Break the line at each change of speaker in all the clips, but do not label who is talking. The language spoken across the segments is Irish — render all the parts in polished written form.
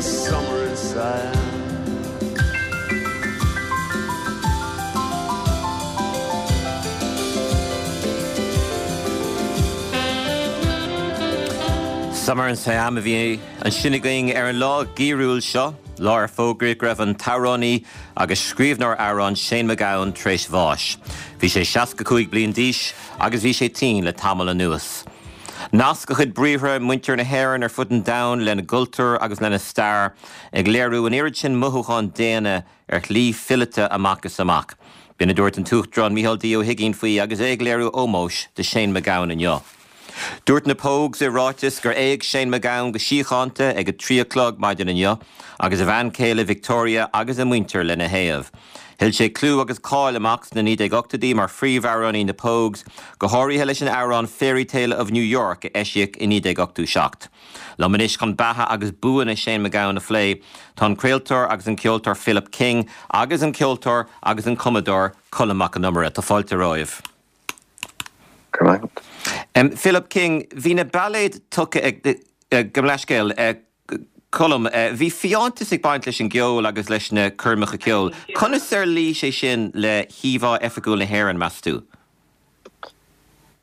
summer in Siam.
Summer in Siam a bhí ansin againn ar an lá geimhriúil seo, lá ar fógraíodh go raibh an t-amhránaí agus scríbhneoir amhrán Shane MacGowan tar éis bháis. Bhí sé 65 bliain d'aois agus bhí sé tinn le tamall anuas. Nasc a chuid briathra muintir na hÉireann ar fud an domhain lena gcultúr agus lena stair, ag léiriú an oiread sin mothúchán daonna ar shlí fileata amach is amach. B'in a dúirt an tUachtarán Micheál D. Ó hUigínn faoi agus é ag léiriú ómóis do Shane MacGowan inniu. Dúirt na Pogues i ráiteas gur éag Shane MacGowan go síochánta ag a 3 a chlog maidin inniu agus a bhean chéile Victoria agus a mhuintir lena thaobh. Thuill sé clú agus cáil amach sna 1980idí mar phríomhamhránaí na Pogues, go háirithe leis an amhrán Fairytale of New York a eisíodh i 1987. Liom anois chun beatha agus buanna Shane MacGowan a phlé, tá an craoltóir agus an ceoltóir Philip King agus an ceoltóir agus an cumadóir Colm Mac Con Iomaire. Tá fáilte romhaibh.
Go raibh maith
agat. Philip King, bhí na bailéid tugtha ag, gabh mo leithscéal, Colm, bhí fiántas ag baint leis an gceol agus leis na coirmeacha ceoil. Conas ar luigh sé sin le híomhá oifigiúil na hÉireann, meas tú?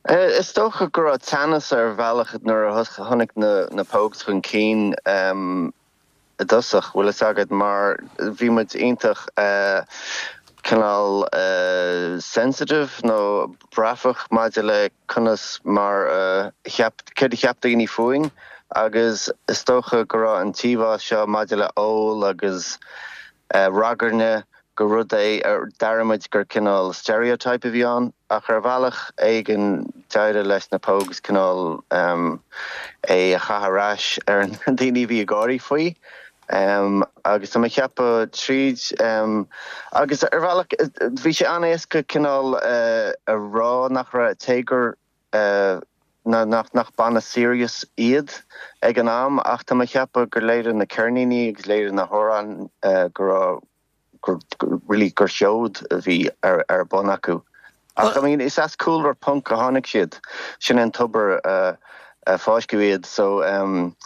Is dócha go raibh teannas ar bhealach nuair a tháinig na Pogues chun cinn i dtosach, bhfuil fhios agat, mar bhí muid iontach cineál sensitive nó breifeach maidir le conas mar a cheap, céard a cheap daoine fúinn agus is dócha go raibh an t-íomhá seo maidir le ól agus ragairne gur rud é a d'airigh muid gur cineál stereotype a bhí ann ach ar bhealach éigin d'éirigh leis na Pogues cineál é a chaitheamh ar ais ar na daoine a bhí ag gáirí faoi agus tá mé ag ceapadh tríd agus ar bhealach bhí sé an-éasca cineál a rá nach raibh cé gur nach banna serious iad ag an am ach tá mé ag ceapadh gur léirigh na ceirníní agus léirigh na hamhráin go raibh gur really gur seod a bhí ar ar bun acu. Ach I mean is as cúlra punk a tháinig siad, sin é an tobar a a fáisceadh iad so um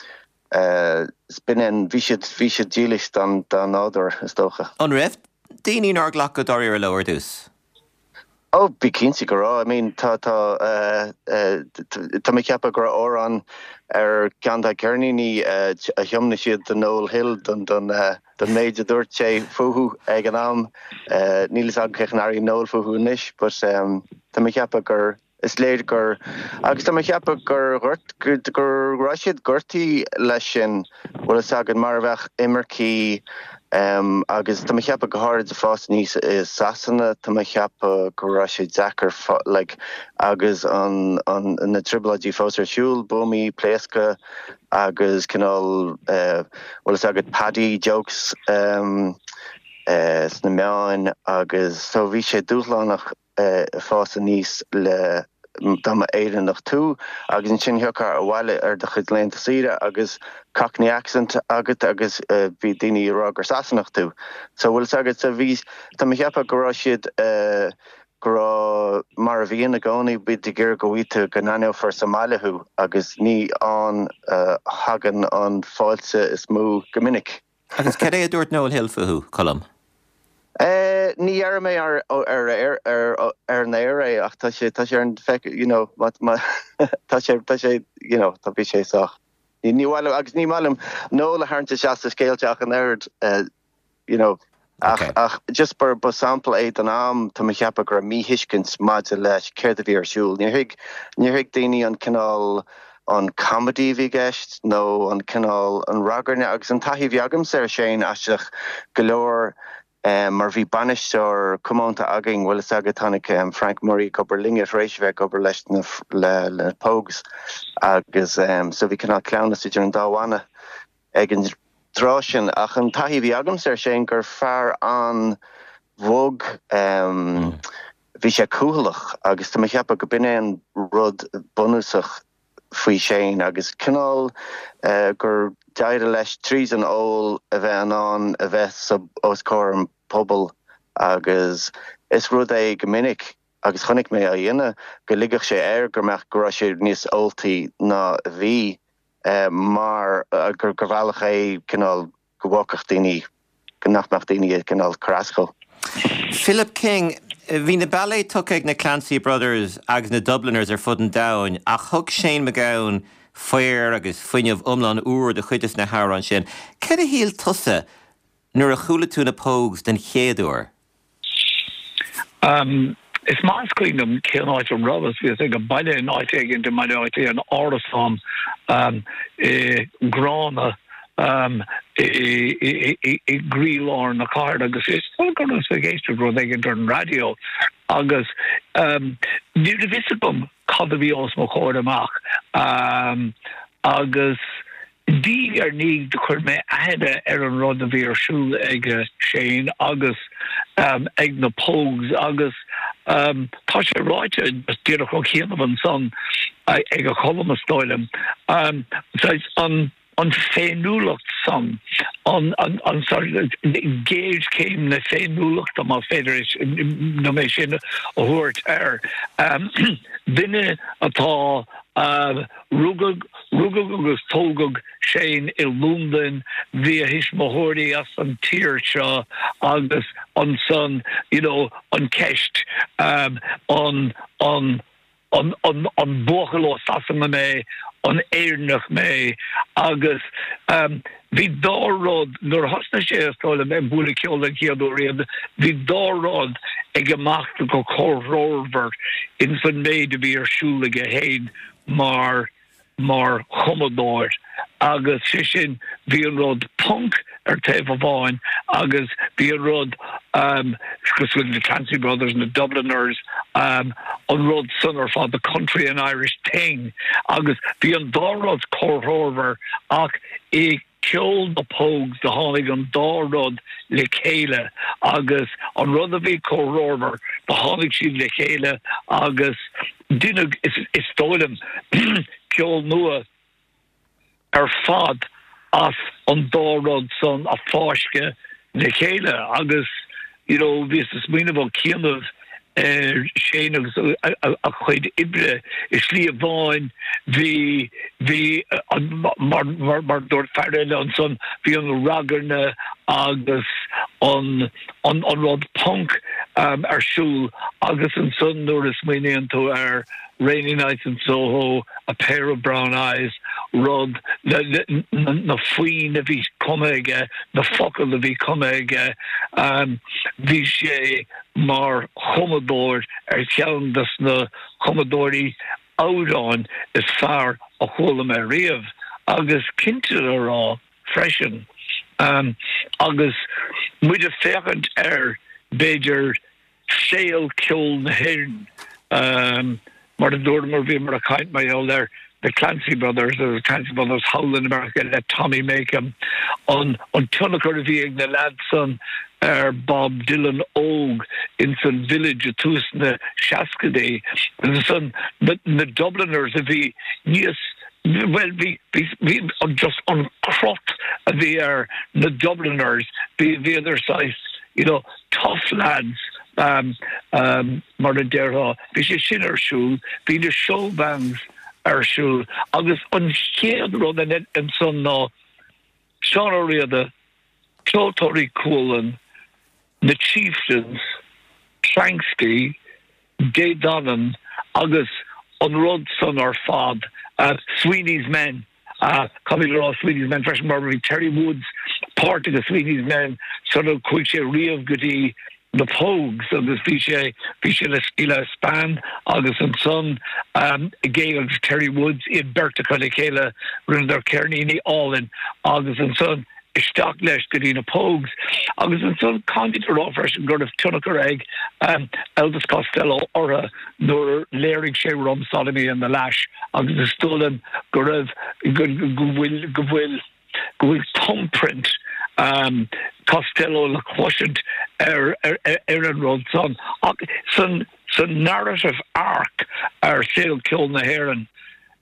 b'in é an bhí siad bhí siad dílis don dá nádúr is dócha.
An raibh daoine nár ghlac go dáiríre leo ar dtús?
Oh, bí cinnte go raibh. I mean, tá, tá, tá mé ag ceapadh go raibh amhrán ar ceann de na ceirníní a thiomnaigh siad do Noel Hill don, don, don méid a dúirt sé fúthu ag an am. Níl fhios agam cén chaoi a n-airíonn Noel fúthu anois, but tá mé ag ceapadh gur, Is léir gur, agus tá mé ag ceapadh gur ghort, go raibh siad gortaithe leis sin, bhfuil fhios agat, mar a bheadh imircigh agus tá mé ag ceapadh go háirid ag fás aníos i Sasana, tá mé ag ceapadh go raibh sé deacair like agus an, an, na trioblóidí fós ar siúl, buamaí, pléascadh agus cineál bhfuil fhios agat paddy jokes sna meáin agus so bhí sé dúshlánach. fás aníos le dá mba Éireannach tú agus ansin thiocfá abhaile ar do chuid laethanta saoire agus Cockney accent agat agus bhí daoine ag rá gur Sasanach tú. So bhfuil fhios agat, so bhí, tá mé ag ceapadh go raibh siad go raibh, mar a bhíonn i gcónaí, bíonn ag iarraidh go bhfaighidh tú, go n-aithneofar sa mbaile thú agus ní ann a thagann an fáilte is mó go minic.
Agus cad é a dúirt Noel Hill fúthu, Colm?
Ní dhéarfaidh mé ar ar an aer é ach tá sé tá sé ar an feic you know má má tá sé tá sé you know tá bhí sé sách ní ní mhaith liom agus ní maith liom Noel a tharraingt isteach sa scéal seo ach an oiread you know ach ach just ba ba sampla é don am tá mé ag ceapadh go raibh míthuiscint maidir leis céard a bhí ar siúl. Níor thuig níor thuig daoine an cineál an comedy a bhí i gceist nó an cineál, an ragairne agus an taithí a bhí agamsa ar Shane aisteach go leor mar bhí bainisteoir comónta againn, bhfuil fhios agat, tháinig Frank Murray ag obair linne tar éis a bheith ag obair leis na le na Pogues agus so bhí cineál cleamhnas idir an dá bhanna ag an dtráth sin ach an taithí a bhí agamsa ar Shane gur fear an-bhog Bhí sé cúthaileach agus tá mé ag ceapadh go b'in é an rud bunúsach faoi Shane agus cineál gur d'éirigh leis tríd an ól a bheith in ann a bheith sa os comhair an pobail agus is rud é go minic agus chonaic mé á dhéanamh go ligeadh sé air go mbeadh go raibh sé níos óltaí ná a bhí mar gur bealach é cineál. go bhfágfadh daoine, go nach mbeadh daoine ag cineál cur as dhó.
Philip King, Bhí na bailéid tugtha ag na Clancy Brothers agus na Dubliners ar fud an domhain ach thug Shane MacGowan faobhar agus fuinneamh iomlán úr do chuid de na hamhráin sin. Céard a shíl tusa nuair a chuala tú na Pogues den chéad uair?
Is maith is cuimhin liom cén áit a rabhas. Bhíos ag baile in áit éigin i mBaile Átha Cliath, in árasán i gCrana i gcroílár na cathrach agus is dóigh go rabhas ag éisteacht rud éigin ar an raidió agus ní raibh fhios agam cad a bhí os mo chomhair amach agus Diaidh ar ndiaidh do chuir mé aithne ar an rud a bhí ar siúl ag Shane agus ag na Pogues agus tá sé ráite díreach ó chianaibh ansan ag a Cholm is dóigh liom, saghas an an féiniúlacht san, an an géarchéim na féiniúlachta más féidir liom é sin a thabhairt air. Duine atá Rugadh rugadh agus tógadh Shane i Londain, bhí a thuismitheoirí as an tír seo agus ansan you know an ceist an an an an an buachaill ó Sasana mé, an Éireannach mé agus bhí dá rud nuair a thosnaigh sé is dóigh liom ag bualadh ceoil den chéad uair riamh, bhí dá rud ag imeacht go comhthreomhar ins an méid a bhí ar siúl aige féin mar mar chumadóir agus sé sin bhí an rud punk ar taobh amháin agus bhí an rud cosúil le Clancy Brothers, na Dubliners, an rud san ar fad, the country and Irish thing agus bhí an dá rud comhthreomhar ach i gceol na Pogues do tháinig an dá rud le chéile agus an rud a bhí comhthreomhar do tháinig siad le chéile agus deineadh is dóigh liom ceol nua ar fad as an dá rud san a fáisceadh le chéile agus you know bhíos ag smaoineamh ó chianaibh ar Shane agus a chuid oibre i slí amháin bhí bhí mar mar mar dúirt fear eile ansan bhí an ragairne agus an an an rud punk ar siúl agus ansan nuair a smaoiníonn tú ar Rainy Nights in Soho, A Pair of Brown Eyes, rud, na foinn a bhí cumtha aige, na focail a bhí cumtha aige, bhí sé mar chumadóir ar cheann de na cumadóirí amhráin is fearr a chuala mé riamh agus cinnte le rá freisin agus muid ag féachaint ar b'fhéidir saol ceoil na hÉireann. Mar a dúramar, bhíomar ag caint mar gheall ar The Clancy Brothers agus Clancy Brothers thall in America le Tommy Makem, an tionchar a bhí ag na leaids san ar Bob Dylan óg ins an Village i tús na seascaidí. Agus ansan na Dubliners a bhí níos, bhuel bhí, bhí, just an crot a bhí ar na Dubliners, bhí, bhíodar saghas, you know, tough lads mar a déarfá. Bhí sé sin ar siúl, bhí na showbands ar siúl agus an chéad rud ansan ná Seán Ó Riada, Ceoltóirí Chualann, na Chieftains, Planxty, Dé Danann agus an rud san ar fad, Sweeney's Men. Caithfimid a rá Sweeney's Men freisin mar bhí Terry Woods páirteach i Sweeney's Men sular chuaigh sé riamh go dtí na Pogues agus bhí sé bhí sé le Steeleye Span agus ansan aige agus Terry Woods iad beirt acu le chéile rinneadar ceirníní álainn agus ansan isteach leis go dtí na Pogues agus ansan caithfimid a rá freisin go raibh tionchar ag Elvis Costello orthu nuair a léirigh sé Rum Sodomy and the Lash agus is dóigh liom go raibh go bhfuil go bhfuil go bhfuil thumbprint Costello le cloisint ar ar ar an rud san ach san san narrative arc ar saol ceoil na hÉireann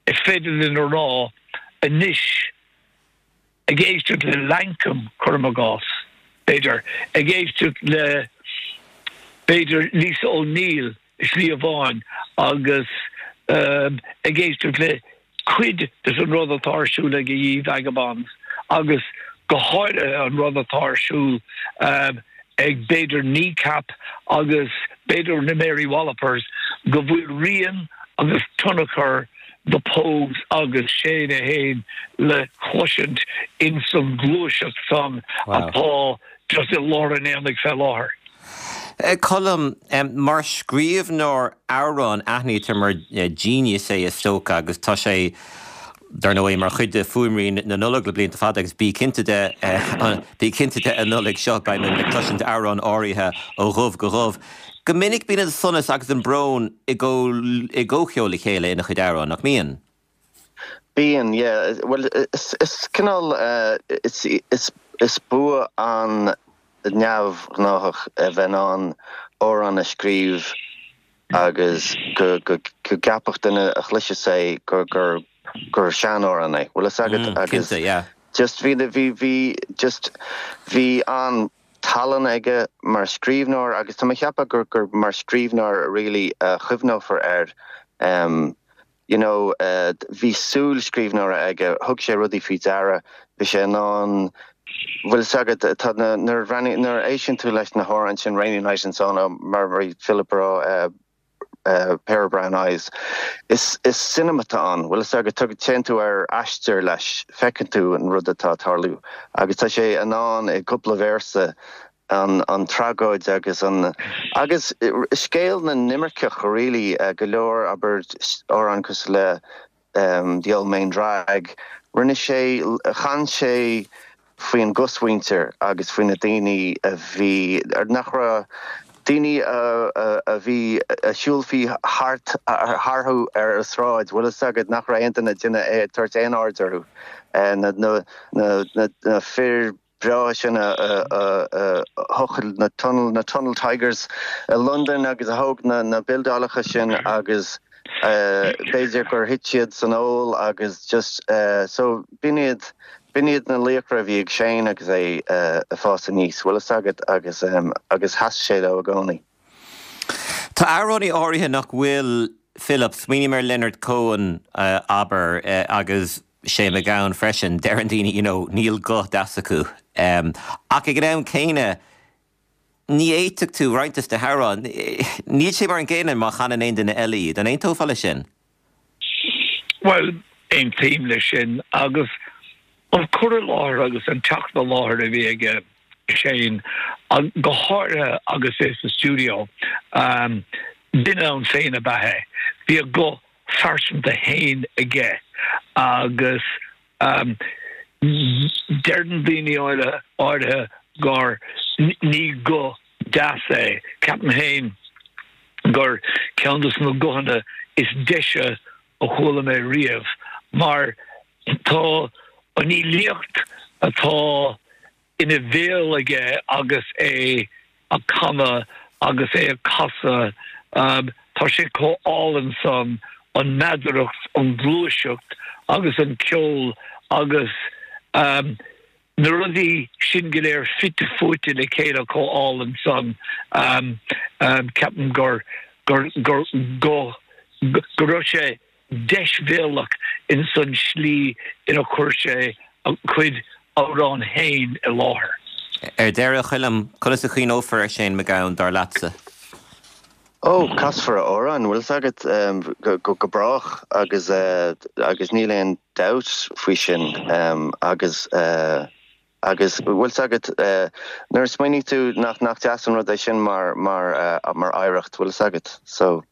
is féidir linn a rá anois ag éisteacht le Lankum, cuirim i gcás, b'fhéidir, ag éisteacht le, b'fhéidir, Lisa O'Neill i slí amháin agus ag éisteacht le cuid de an rud atá ar siúl ag Ye Vagabonds agus. Go háirithe an rud atá ar siúl ag b'fhéidir Kneecap agus b'fhéidir na Mary Wallopers, go bhfuil rian agus tionchar The Pogues agus Shane é fhéin le cloisint ins an ghluaiseacht san atá just i lár an aonaigh fé láthair.
Colm, mar scríbhneoir amhrán, aithnítear mar genius é is dócha agus tá sé, dar ndóigh, mar chuid de fuaimrian na Nollag le blianta fada agus bí cinnte de, bí cinnte de an Nollaig seo beidh muid ag cloisint amhrán áirithe ó dhubh go dubh. Go minic bíonn an sonas agus an brón i gcomhcheol le chéile ina chuid amhrán, nach mbíonn?
Bíonn, yeah. Bhuel, is cineál, is bua an-neamhghnáthach a bheith in ann amhrán a scríobh agus go gceapfadh duine a chloisfeas é gur gur sean-amhrán é. Bhfuil fhios agat? Agus
Cinnte, yeah.
just bhí, bhí, bhí, just bhí an tallann aige mar scríbhneoir agus tá mé ag ceapadh gur gur mar scríbhneoir really a chuimhneofar air. You know, bhí súil scríbhneora aige, thug sé rudaí faoi deara, bhí sé in ann, bhfuil fhios agat, tá na, nuair a bhreathnaíonn, nuair a éisteann tú leis na hamhráin sin, Rainy Night and so on, mar a bhí Philip ag rá, Pair of Brown Eyes, is, is cinema atá ann, bhfuil fhios agat, tug, téann tú ar aistear leis, feiceann tú an rud atá ag tarlú agus tá sé in ann i gcúpla véarsa an tragóid agus an agus scéal na n-imirceach really go leor abair amhráin cosúil le The Old Main Drag rinne sé chan sé faoin gcosmhuintir agus faoi na daoine a bhí nach raibh daoine a bhí a shiúlfaí thart tharthu ar an sráid bhfuil fhios agat nach raibh aon duine ag déanamh ag tabhairt aon aird orthu na na na na fir breátha sin a thochail na tunnel, na Tunnel Tigers i Londain agus a thóg na bildeálacha sin agus b'fhéidir gur thit siad san ól agus just so b'in iad, b'in iad na laochra a bhí ag Shane agus é ag fás aníos, bhfuil fhios agat agus agus sheas sé leo i gcónaí.
Tá amhránaí áirithe nach bhfuil Philip, smaoiním ar Leonard Cohen abair agus Shane MacGowan freisin, deireann daoine you know níl guth deas acu. Ach ag an am céanna ní fhéadfadh tú roinnt de na hamhráin, níl sé mar an gcéanna má chanann aon duine eile iad. An aontófá leis sin?
Bhuel, aontaím leis sin agus an cur i láthair agus an teacht i láthair a bhí aige Shane, go háirithe agus é sa stiúideo, duine ann féin ab ea é. Bhí a ghuth phearsanta féin aige agus deireann daoine áirithe gur ní guth deas é. Ceapaim féin gur ceann de na guthanna is deise a chuala mé riamh mar tá an fhilíocht atá ina bhéal aige agus é ag canadh agus é ag casadh. Tá sé chomh álainn san, an mheadaracht, an ghluaiseacht agus an ceol agus na rudaí sin go léir fite fuaite le chéile chomh álainn san. Ceapaim gur, gur, gur, go, go raibh sé deisbhéalach in san slí ina chuir sé a chuid amhrán féin i láthair.
Ar deireadh, a Choilm, conas a chuimhneofar ar Shane MacGowan, dar leatsa?
Ó, casfar a amhráin, bhfuil fhios agat, go brách agus agus níl aon dabht faoi sin agus agus bhfuil fhios agat, nuair a smaoiníonn tú nach nach deas an rud é sin mar mar mar oidhreacht, bhfuil fhios agat, so.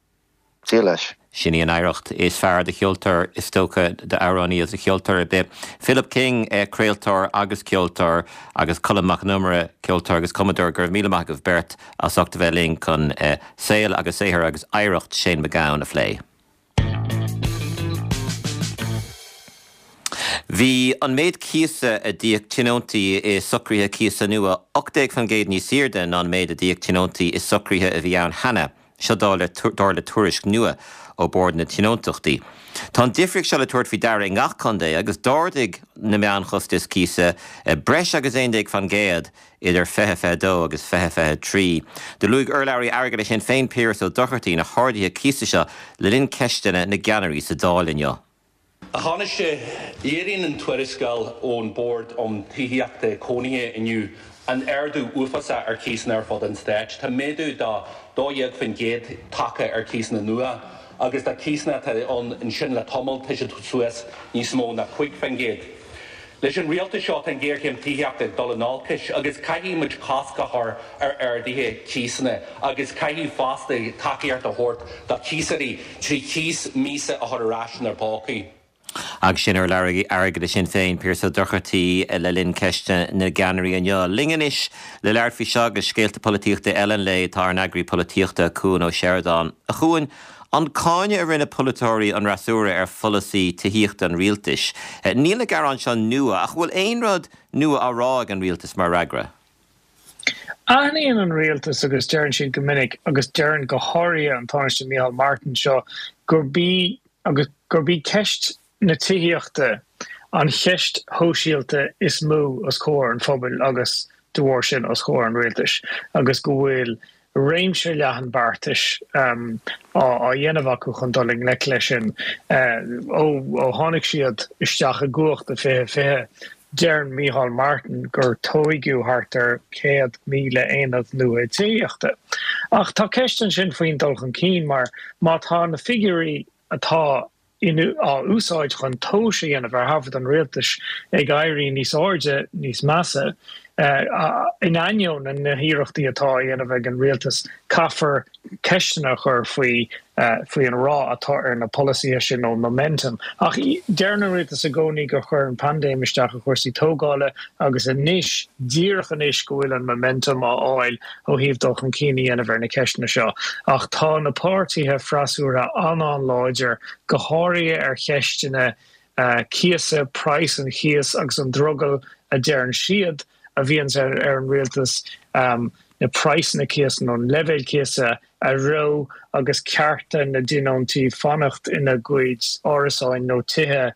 Dia leis.
Sin í an oidhreacht is fearr do cheoltóir, is dócha, d'amhránaí agus do cheoltóir ar bith. Philip King, craoltóir agus ceoltóir, agus Colm Mac Con Iomaire, ceoltóir agus cumadóir, go raibh míle maith agaibh beirt as ucht a bheith linn chun saol agus saothar agus oidhreacht Shane MacGowan a phlé. Bhí an méid cíosa a d'íoc tionóntaí i socruithe cíosa nua 18% níos airde ná an méid a d'íoc tionóntaí i socruithe a bhí ann cheana. Seo dar le tuairisc nua ó Bhord na Tionóntachtaí. Tá an difríocht seo le tabhairt faoi deara i ngach contae agus d'ardaigh na meánchostais cíosa breis agus 11% idir 2022 agus 2023. Do luaigh urlabhraí airgeadais Shinn Féin Piaras Ó Dochartaigh na harduithe cíosa seo le linn ceisteanna na gceannairí sa Dáil inniu.
A Thánaiste, léiríonn an tuarascáil ón Bord um Tithíochta Cónaithe inniu an ardú uafásach ar chíosanna ar fud an stáit. Tá méadú de 12% tagtha ar chíosanna nua agus do chíosanna atá ann ansin le tamall tá siad suas níos mó ná 5%. Leis an rialtas seo tá an ghéarchéim tithíochta ag dul in olcais agus caithfidh muid cosc a chur ar arduithe cíosanna agus caithfidh fosta tacaíocht a thabhairt do chíosóirí trí chíos míosa a chur ar ais inár bpócaí.
Agus sin urlabhraí airgeadais Shinn Féin, Pearse Ó Dochartaigh, le linn Ceisteanna na gCeannairí inniu. Linn anois le labhairt faoi seo agus scéalta polaitíochta eile an lae tá ár n-eagraí polaitíochta, Cuan Ó Seireadáin. A Chuain, An cáineadh a rinne polaiteoirí an fhreasúra ar pholasaí tithíochta an rialtais. Níl na gearáin seo nua, ach an bhfuil aon rud nua á rá ag an rialtas mar fhreagra?
Aithníonn an rialtas, agus deireann siad go minic, agus deireann go háirithe an Tánaiste Micheál Martin seo, gurb í agus gurb í ceist na tithíochta an cheist shóisialta is mó os comhair an phobail agus de bharr sin os comhair an rialtais agus go bhfuil réimse leathan beartais á dhéanamh acu chun dul i ngleic leis sin. Ó tháinig siad isteach i gcumhacht i 2020, deireann Micheál Martin gur tóigeadh thart ar 100,000 aonad nua tithíochta. Ach tá ceist ansin faoin dul chun cinn mar má tá na figiúirí atá á úsáid chun tomhas a dhéanamh ar thaifead an rialtais ag éirí níos airde, níos measa. In ainneoin na hiarrachtaí atá á dhéanamh ag an rialtas, caithfear ceisteanna a chur faoi faoi an rath atá ar na polasaithe sin nó an momentum. Ach deireann an rialtas i gcónaí gur chuir an paindéim isteach ar chúrsaí tógála agus anois, díreach anois go bhfuil an momentum á fháil ó thaobh dul chun cinn a dhéanamh ar na ceisteanna seo. Ach tá na páirtithe freasúra an-an-láidir, go háirithe ar cheisteanna cíosa, praghas an chíos agus an drogall a deireann siad a bhíonns ar an rialtas na praghsanna cíosa nó an leibhéal cíosa a reo agus cearta na dtionóntaí fanacht ina gcuid árasáin nó tithe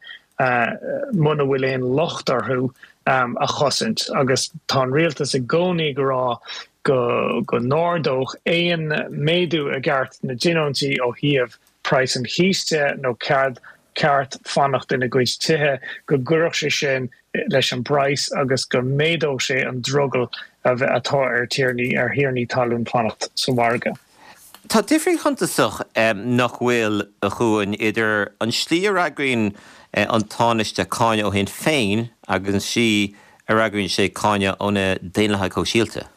muna bhfuil aon locht orthu, a chosaint. Agus tá an rialtas i gcónaí ag rá go go n-ardódh aon méadú i gceart na dtionóntaí ó thaobh praghas an chíos de nó cead ceart fanacht ina gcuid tithe, go gcuirfeadh sé sin leis an bpraghas agus go méadódh sé an drogall atá ar tiarnaí ar thiarnaí talún fanacht sa mhargadh.
Tá difríocht shuntasach, nach bhfuil, a Chuain, idir an tslí a fhreagraíonn an Tánaiste cáineadh ó Shinn Féin agus an tslí a fhreagraíonn sé cáineadh ó na Daonlathaigh Shóisialta.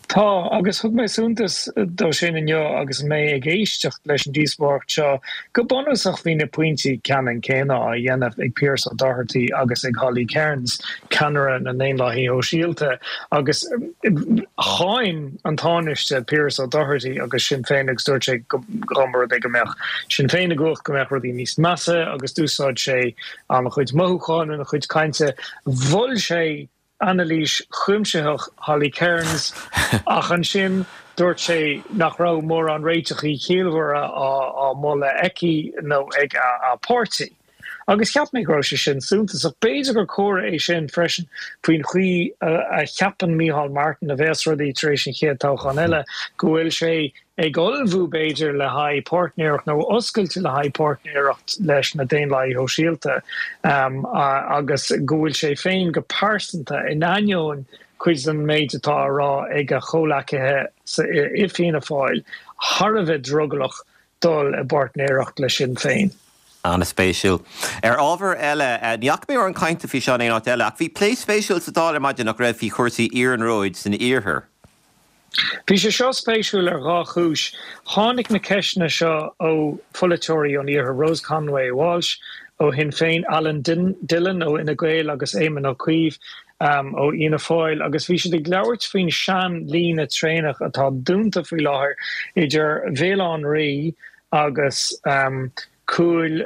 Tá, agus thug mé suntas dó sin inniu agus mé ag éisteacht leis an díospóireacht seo. Go bunúsach bhí na pointí ceannann céanna á dhéanamh ag Pearse Doherty agus ag Holly Cairns, ceannaire na nDaonlathaithe Shóisialta, agus cháin an Tánaiste Pearse Doherty agus Sinn Féin agus dúirt sé go dá mba rud é go mbeadh Sinn Féin i gcumhacht go mbeadh rudaí níos measa agus d'úsáid sé an-chuid mothúchán ina chuid cainte. Mhol sé anailís chuimsitheach Holly Cairns ach ansin dúirt sé nach raibh mórán réiteachaí ciallmhara á moladh aici nó ag a páirtí. Agus cheap mé go raibh sé sin suntasach. B'fhéidir gur comhartha é sin freisin faoin chaoi a cheapann Micheál Martin a bheas rudaí tar éis an chéad toghchán eile, go bhfuil sé ag ullmhú, b'fhéidir, le haghaidh páirtnéireacht nó oscailte le haghaidh páirtnéireacht leis na Daonlathaithe Shóisialta agus go bhfuil sé féin go pearsanta, in ainneoin cuid den méid atá á rá ag a chomhleacaithe i Fianna Fáil, thar a bheith drogallach dul i bpáirtnéireacht le Sinn Féin.
An-spéisiúil. Ar ábhar eile, ní fhaca mé mórán cainte faoi seo in aon áit eile, ach bhí plé spéisiúil sa Dáil ar maidin, nach raibh, faoi chúrsaí iarnróid san iarthar.
Bhí sé seo spéisiúil ar dhá chúis. Tháinig na ceisteanna seo ó pholaiteoirí ón iarthar, Rose Conway Walsh ó Shinn Féin, Alan Dillon ó Fhine Gael agus Éamon Ó Cuív ó Fhianna Fáil agus bhí siad ag labhairt faoin sean-líne traenach atá dúnta faoi láthair idir Bhéal Átha an Rí agus Cúil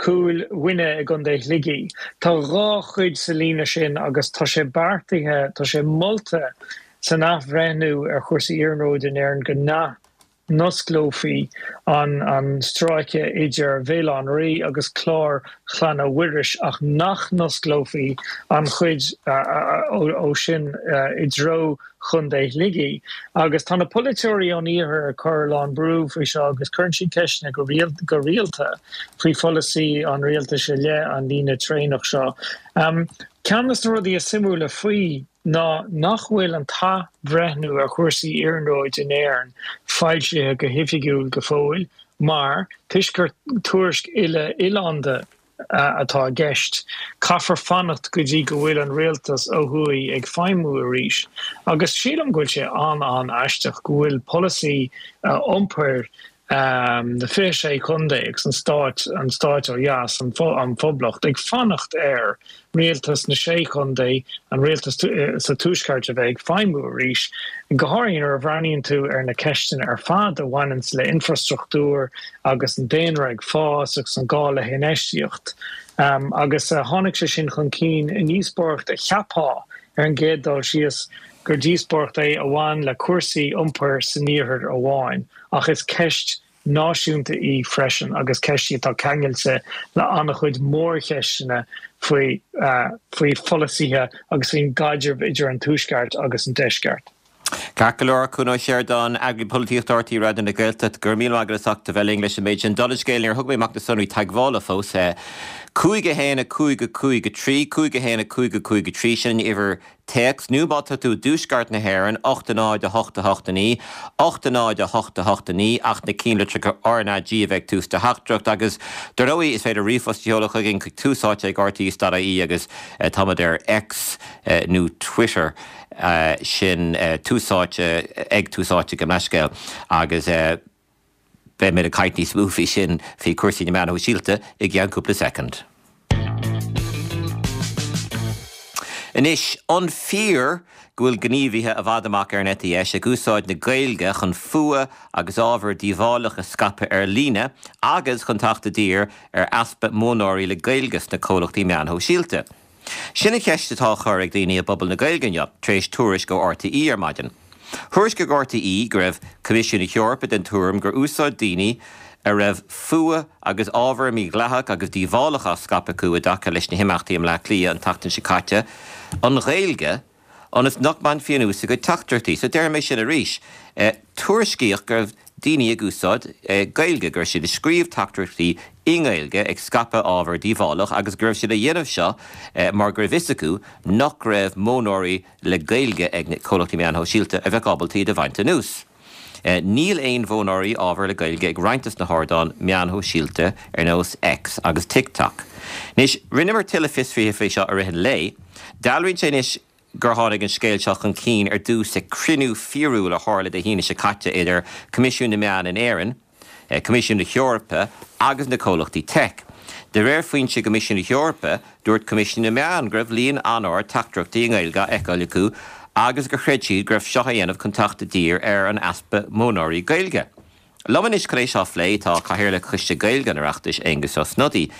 Cúil Mhuine i gContae Shligigh. Tá dhá chuid sa líne sin agus tá sé beartaithe, tá sé molta san athbhreithniú ar chúrsaí iarnróid in Éirinn go. n-osclófaí an an stráice idir Bhéal Átha an Rí agus Clár Chlainne Mhuiris ach nach n-osclófaí an chuid ó sin i dtreo Chontae Shligigh. Agus tá na polaiteoirí ón iarthar ag cur a lán brú faoi seo agus cuireann siad ceisteanna go rialta faoi pholasaí an rialtais i leith an líne traenach seo. Ceann de na rudaí is suimiúla faoi ná nach bhfuil an t-athbhreithniú ar chúrsaí iarnróid in Éirinn foilsithe go hoifigiúil go fóill mar, toisc gur tuairisc uile-oileánda atá i gceist, caithfear fanacht go dtí go bhfuil an rialtas ó thuaidh ag feidhmiú arís. Agus sílim go bhfuil sé an-an-aisteach go bhfuil polasaí iompair na 26 contae agus an stáit, an stáit ó dheas, an Phoblacht, ag fanacht ar rialtas na sé chontae, an rialtas sa tuaisceart a bheith ag feidhmiú arís, go háirithe nuair a bhreathnaíonn tú ar na ceisteanna ar fad a bhaineanns le infrastruchtúr agus an daonra ag fás agus an gá le hinfheistíocht. Agus tháinig sé sin chun cinn i ndíospóireacht a cheapfá ar an gcéad dul síos gur díospóireacht é a bhain le cúrsaí iompair san iarthar amháin. Ach is ceist náisiúnta í freisin agus ceist í atá ceangailte le an-chuid mórcheisteanna faoi faoi pholasaithe agus faoin gcaidreamh idir an Tuaisceart agus an Deisceart.
Ceart go leor, Cuan Ó Seireadáin, Eagraí Polaitíochta RTÉ Raidió na Gaeltachta, go raibh míle maith agat as ucht a bheith linn leis an méid sin. Dála an scéil, níor thug mé amach na sonraí teagmhála fós. 5 1 5 5 3, 5 1 5 5 3, sin an uimhir téacs, nó má tá tú i dtuaisceart na hÉireann, 8 0 8 8 9, 8 0 8 8 9, ach na cinnlitreacha RnaG a bheith ag tús do theachtaireacht. Agus, dar ndóigh, is féidir ríomhphost a sheoladh chugainn chuig Tús Áite ag rte.ie agus táimid ar X nó Twitter, sin Tús Áite, ag Tús Áite, gabh mo leithscéal. Agus. Beimid ag caint níos mó faoi sin, faoi chúrsaí na meán shóisialta, i gceann cúpla soicind. Anois, an fíor go bhfuil gníomhaithe i bhfad amach ar an eite dheis ag úsáid na Gaeilge chun fuath agus ábhar díobhálach a scaipeadh ar líne agus chun teacht i dtír ar easpa modhnóirí le Gaeilge sna comhlachtaí meán shóisialta? Sin an cheist atá á chur ag daoine i bpobal na Gaeilge inniu, tar éis tuairisc ó RTÉ ar maidin. Thuairiscigh RTÉ go raibh Coimisiún na hEorpa den tuairim gur úsáid daoine a raibh fuath agus ábhar mídhleathach agus díobhálach á scaipeadh acu i dtaca leis na himeachtaí i mBleá Cliath an tseachtain seo caite an Ghaeilge ionas nach mbainfí anuas a gcuid teachtaireachtaí. So déarfaidh mé sin arís. Tuairiscíodh go raibh daoine ag úsáid Gaeilge, go raibh siad ag scríobh teachtaireachtaí i nGaeilge ag scaipeadh ábhar díobhálach agus go raibh siad á dhéanamh seo mar go raibh fhios acu nach raibh modhnóirí le Gaeilge ag na comhlachtaí meáin shóisialta a bheadh ábalta iad a bhaint anuas. Níl aon mhodhnóirí ábhair le Gaeilge ag roinnt des na hardáin meáin shóisialta ar nós X agus TikTok. Anois, rinneamar tuilleadh fiosraithe faoi seo i rith an lae. Dealraíonn sé anois gur tháinig an scéal seo chun cinn ar dtús ag cruinniú fíorúil a tharla Dé hAoine seo caite idir Coimisiún na Meán in Éirinn, Coimisiún na hEorpa agus na comhlachtaí teic. De réir foinse i gCoimisiún na hEorpa, dúirt Coimisiún na Meán go raibh líon an-ard teachtaireachtaí i nGaeilge á fheiceáil acu agus gur chreid siad go raibh seo á dhéanamh chun teacht i dtír ar an easpa modhnóirí Gaeilge. Liom anois chun é seo a phlé tá Cathaoirleach Choiste Gaeilge an Oireachtais, Aengus Ó Snodaigh,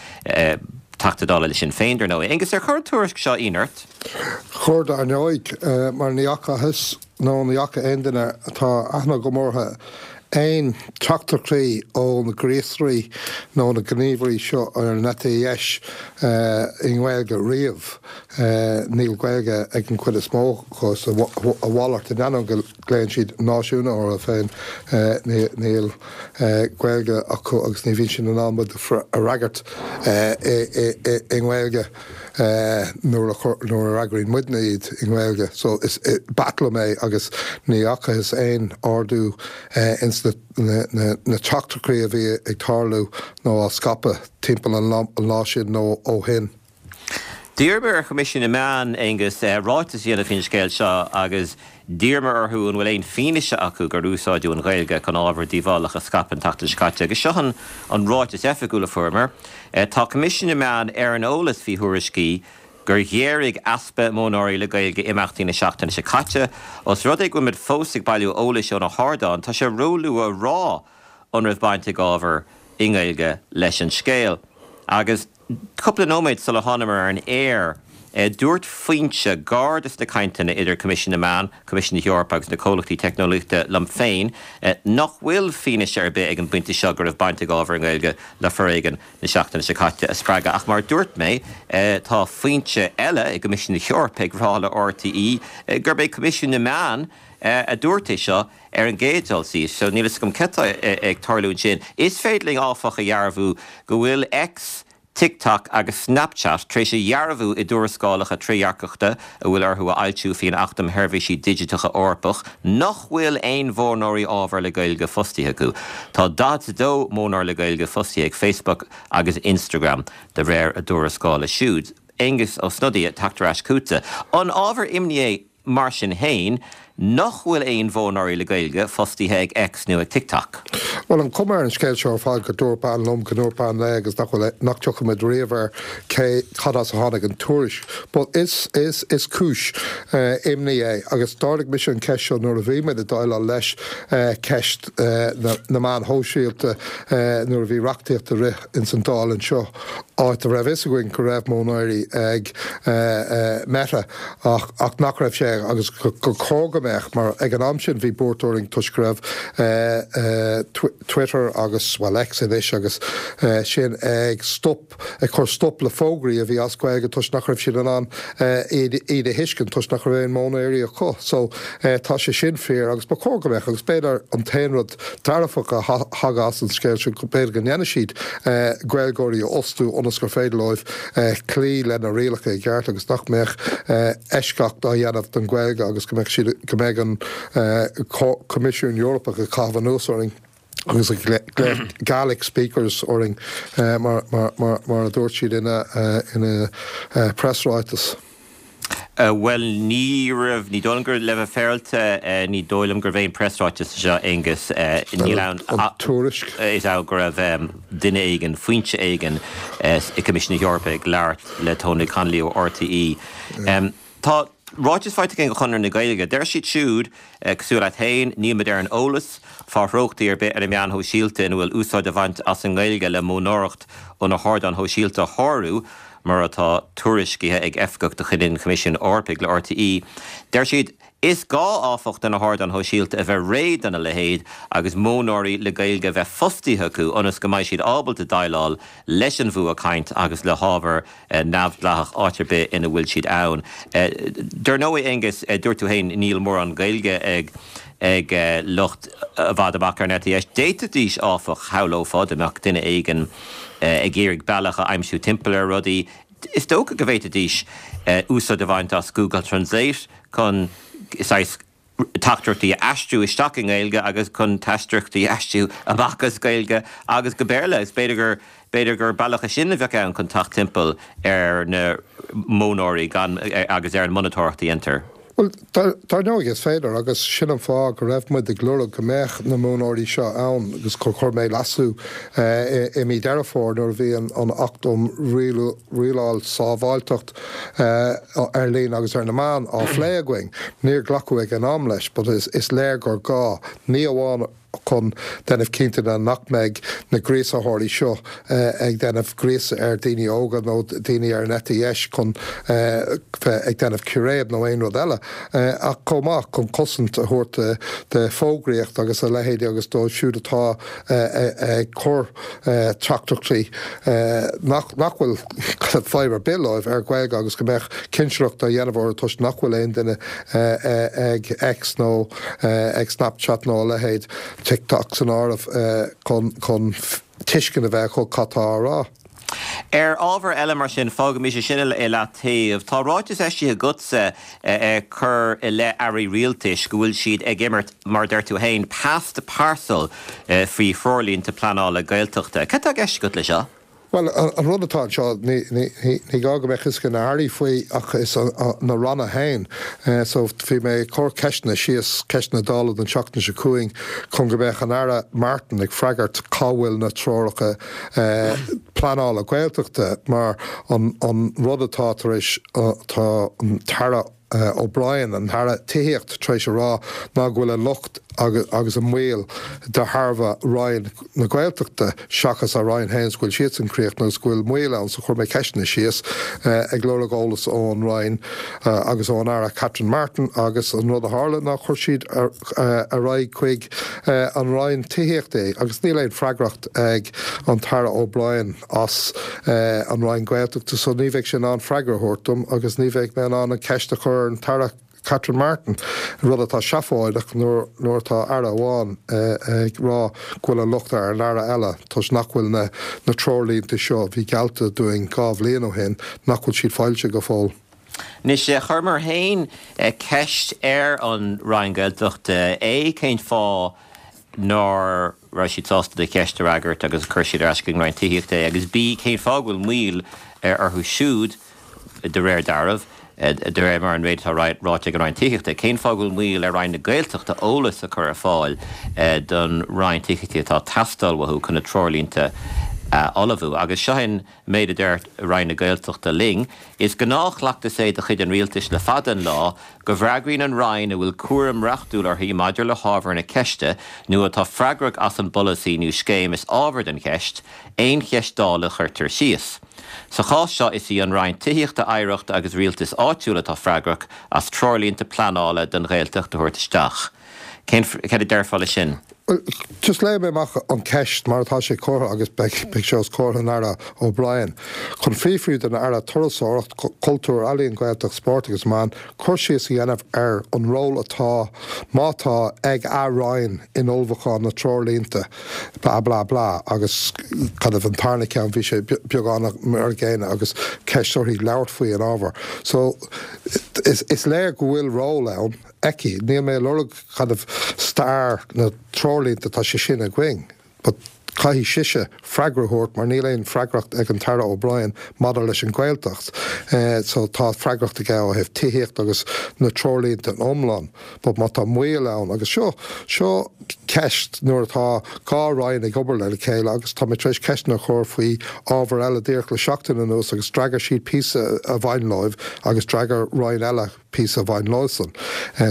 Teachta Dála le Sinn Féin, dar ndóigh. Aengus, ar chuir an tuairisc seo ionadh ort?
Chuir, dar ndóigh, mar ní fhacathas nó ní fhaca aon duine atá aithne agam orthu aon teachtaireachtaí ó na gríosairí nó na gníomhairí seo ar an eite dheis i nGaeilge riamh. Níl Gaeilge ag an chuid is mó acu, is a mhalairt, in ainneoin go nglaonn siad náisiúnaithe orthu féin, níl Gaeilge acu agus ní bhíonn siad in ann muid a fhreagairt i nGaeilge nuair a fhreagraíonn muidne iad i nGaeilge. So is b'ait liom é agus ní fhacathas aon ardú ins na teachtaireachtaí a bhí ag tarlú nó á scaipeadh timpeall an lá sin nó ó shin.
D'iarramar ar Choimisiún na Meán, Aengus, ráiteas a dhéanamh faoin scéal seo agus d'iarramar orthu an bhfuil aon fianaise acu gur úsáideadh an Ghaeilge chun ábhar díobhálach a scaipeadh an tseachtain seo caite agus seo an ráiteas oifigiúil a fuaireamar, Tá Coimisiún na Meán ar an eolas faoi thuairiscí gur ghéaraigh easpa modhnóirí le Gaeilge imeachtaí na seachtaine seo caite. Os rud é go bhfuilimid fós ag bailiú eolais ó na hardáin, tá sé róluath a rá an raibh baint ag ábhar i nGaeilge leis an scéal. Agus. Cúpla nóiméad sular thánamar ar an aer. Dúirt foinse gar dos na cainteanna idir Coimisiún na Meán, Coimisiún na hEorpa agus na comhlachtaí teicneolaíochta liom féin nach bhfuil fianaise ar bith ag an bpointe seo go raibh baint ag ábhar i nGaeilge le foréigean na seachtaine seo caite a spreagadh. Ach mar a dúirt mé, tá foinse eile i gCoimisiún na hEorpa ag rá le RTÉ gurb é Coimisiún na Meán a dúirt é seo ar an gcéad dul síos. So níl a fhios agam céard atá ag tarlú ansin. Is féidir linn, áfach, a dhearbhú go bhfuil X, TikTok agus Snapchat tar éis a dhearbhú i dtuarascálacha trédhearcachta a bhfuil orthu a fhoilsiú faoin Acht um Sheirbhísí Digiteacha Eorpach nach bhfuil aon mhodhnóirí ábhair le Gaeilge fostaithe acu. Tá 42 modhnóir le Gaeilge fostaithe ag Facebook agus Instagram, de réir a dtuarascála siúd. Aengus Ó Snodaigh, ag teacht ar ais chugatsa. An ábhar imní é Mar sin féin, nach bhfuil aon mhodhnóirí le Gaeilge fostaithe ag X nó ag TikTok?
Bhuel, an chuma ar an scéal seo ar fad go dúirt bean liom go ndúirt bean léi agus nach bhfuil, nach dtiocfaidh muid riamh ar cé, cad as a tháinig an tuairisc. But is, is, is cúis imní é agus d'ardaigh mise an cheist seo nuair a bhí muid ag déileáil leis ceist na, na meáin shóisialta nuair a bhí reachtaíocht ag rith ins an Dáil anseo áit a raibh fhios againn go raibh modhnóirí ag Meta. ach ach nach raibh sé agus gur chóir go mbeadh mar ag an am sin bhí buairt orainn toisc go raibh Twitter agus, bhuel X anois agus sin ag stop, ag cur stop le fógraí a bhí as Gaeilge toisc nach raibh siad in ann iad a thuiscint toisc nach raibh aon mhodhnóirí acu. So tá sé sin fíor agus ba chóir go mbeadh agus b'fhéidir an t-aon rud dearfach a thagadh as an scéal seo go b'fhéidir go ndéanfaidh siad Gaeilgeoirí a fhostú ionas gur féidir leo cloí le na rialacha i gceart agus nach mbeadh eisceacht á dhéanamh don Ghaeilge agus go mbeadh siad, go mbeadh an Coimisiún Eorpach ag caitheamh anuas orainn agus ag glaoch Gaelic speakers orainn mar a dúirt siad ina preasráiteas.
Bhuel, ní raibh, ní dóigh liom gur, le bheith féaráilte, ní dóigh liom gurbh aon preasráiteas é seo, Aengus. Níl ann
ach. Tuairisc.
Is ea go raibh duine éigin, foinse éigin i gCoimisiún na hEorpa ag labhairt le Tony Connolly ó RTÉ. Tá ráiteas faighte againn ó Chonradh na Gaeilge. Deir siad siúd, cosúil leat féin, níl muid ar an eolas fá threochtaí ar bith ar na meáin shóisialta ina bhfuil úsáid á bhaint as an nGaeilge le modhnóireacht ó na hardáin shóisialta a shárú. Mar atá tuairiscithe ag oifigeach de chuid an Choimisiúin Eorpaigh le RTÉ, deir siad, Is gá, áfach, do na hardáin shóisialta a bheith réidh dona leithéid agus modhnóirí le Gaeilge a bheith fostaithe acu ionas go mbeidh siad ábalta déileáil leis an bhfuathchaint agus le hábhar neamhdhleathach áit ar bith ina bhfuil siad ann. Dar ndóigh, Aengus, dúirt tú féin níl mórán Gaeilge ag ag lucht i bhfad amach ar an eite dheis. D'fhéadfaidís, áfach, shamhlófá, dá mbeadh duine éigin ag iarraidh bealach a aimsiú timpeall ar rudaí, is dócha go bhféadfaidís úsáid a bhaint as Google Translate chun saghas teachtaireachtaí a aistriú isteach i nGaeilge agus chun teachtaireachtaí a aistriú amach as Gaeilge agus go Béarla. Is b'fhéidir gur, b'fhéidir gur bealach é sin a bheadh ann chun teacht timpeall ar na modhnóirí gan, agus ar an monatóireacht a dhéantar.
Bhuel, dar ndóigh is féidir agus sin an fáth go raibh muid ag lorg go mbeadh na modhnóirí seo ann agus gur chuir mé leasú i mí Deireadh Fómhair nuair a bhí an Acht um Rialáil Sábháilteacht ar Líne agus ar na Meáin á phlé againn. Níor glacadh ag an am leis but is léir gur gá, ní amháin chun déanamh cinnte de nach mbeidh na gríosaitheoirí seo ag déanamh gríosadh ar daoine óga nó daoine ar an eite dheis chun bheith ag déanamh círéib nó aon rud eile, ach chomh maith chun cosaint a thabhairt do fógraíocht agus a leithéidí agus dóibh siúd atá ag cur teachtaireachtaí nach bhfuil fadhb ar bith leo ar Ghaeilge agus go mbeadh cinsireacht á dhéanamh orthu toisc nach bhfuil aon duine ag X nó ag Snapchat nó a leithéid, TikTok san áireamh, chun tuiscint a bheith acu cad tá á rá.
Ar ábhar eile, mar sin, fágaimis é sin i leataobh. Tá ráiteas eisithe agatsa ag cur i leith airí rialtais go bhfuil siad ag imirt, mar a deir tú féin, pass the parcel faoi threoirlínte pleanála Gaeltachta. Cad tá i gceist agat le seo?
Bhuel, an rud atá anseo, ní gá go mbeadh fhios ag na hairí faoi ach is na ranna féin. So, bhí mé ag cur ceisteanna síos, ceisteanna Dála don tseachtain seo chugainn chun go mbeadh an Aire Martin ag freagairt cá bhfuil na treoracha pleanála Gaeltachta mar an rud atá tar éis, tá an tAire O'Brien, an tAire Tithíochta, tar éis a rá ná go bhfuil an locht. agus an mhoill de thairbhe Roinn na Gaeltachta seachas a Roinn féin is go bhfuil siadsan críochnaithe agus go bhfuil moill ann so chuir mé ceisteanna síos ag lorg eolas ón Roinn agus ón Aire Catherine Martin agus an rud a tharla ná chuir siad ar aghaidh chuig an Roinn Tithíochta é agus níl aon freagracht ag an tAire O'Brien as an Roinn Gaeltachta so ní bheidh sé in ann freagra a thabhairt dom agus ní bheidh mé in ann an cheist a chur ar an tAire Catherine Martin, rud atá seafóideach nuair atá Aire amháin ag rá go bhfuil an locht ar an Aire eile toisc nach bhfuil na treoirlínte seo a bhí geallta dúinn 2 bhliain ó shin, nach bhfuil siad foilsithe go fóill.
Anois, chuireamar féin ceist ar an Roinn Gaeltachta, A, cén fáth nár raibh siad sásta do cheist a fhreagairt agus chuir siad ar ais chuig an Roinn Tithíochta é, agus B, cén fáth go bhfuil moill orthu siúd, de réir dealraimh, de réir mar an méid atá ráite ag an Roinn Tithíochta, cén fáth go bhfuil moill ar Roinn na Gaeltachta eolas a chur ar fáil don Roinn Tithíochta atá ag teastáil uathu chun na treoirlínte a ullmhú? Agus seo an méid a deir Roinn na Gaeltachta linn, Is gnáthchleachtas é de chuid an Rialtais le fada an lá go bhfreagraíonn an Roinn a bhfuil cúram reachtúil uirthi maidir le hábhar na ceiste nó atá freagrach as an bpolasaí nó scéim is ábhar don cheist, aon cheist Dála a chuirtear síos. Sa chás seo is í an Roinn Tithíochta, Oidhreachta agus Rialtais Áitiúil atá freagrach as treoirlínte pleanála don Ghaeltacht a thabhairt isteach. Cén, céard a déarfá leis sin?
Bhuel, just léifidh mé amach an ceist mar atá sé curtha agus beidh sé os comhair an Aire O'Brien. Chun fiafraí den Aire Turasóireacht, Cultúr, Ealaíon, Gaeltacht, Spóirt agus Meán cur síos a dhéanamh ar an ról atá, má tá, ag a Roinn in ullmhúchán na treoirlínte blah blah blah agus kind of an tarna ceann bhí sé beagán mar an gcéanna agus ceist uirthi labhairt faoi an ábhar. So is, is léir go bhfuil ról ann. aici. Níl mé ag lorg kind of stair na treoirlínte, tá sé sin againn but caithfidh sise freagra a thabhairt mar níl aon freagracht ag an tAire O'Brien maidir leis an Ghaeltacht. So tá freagracht aige ó thaobh tithíocht agus na treoirlínte in iomlán but má tá moill ann agus seo, seo ceist nuair atá 2 roinn ag obair lena chéile agus tá mé tar éis ceisteanna a chur faoi ábhar eile díreach le seachtain anuas agus d'fhreagair siad píosa a bhain leo agus d'fhreagair roinn eile píosa a bhain leosan.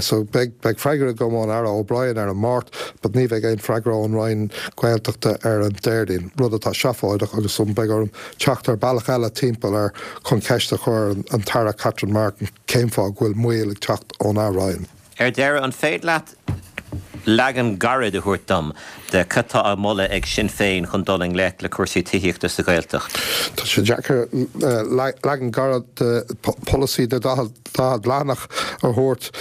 So beidh beidh freagra agam ón Aire O'Brien ar an Máirt but ní bheidh aon freagra ón Roinn Gaeltachta ar an Déardaoin, rud atá seafóideach agus so beidh orm teacht ar bealach eile timpeall air chun ceist a chur ar an tAire Catherine Martin cén fáth go bhfuil moill ag teacht óna Roinn.
Ar deireadh, an féidir leat leagan gairid a thabhairt dom de cad tá á mholadh ag Sinn Féin chun dul i ngleic le cúrsaí tithíochta sa Ghaeltacht?
Tá sé deacair leagan gairid de pholasaí de 40 leathanach a thabhairt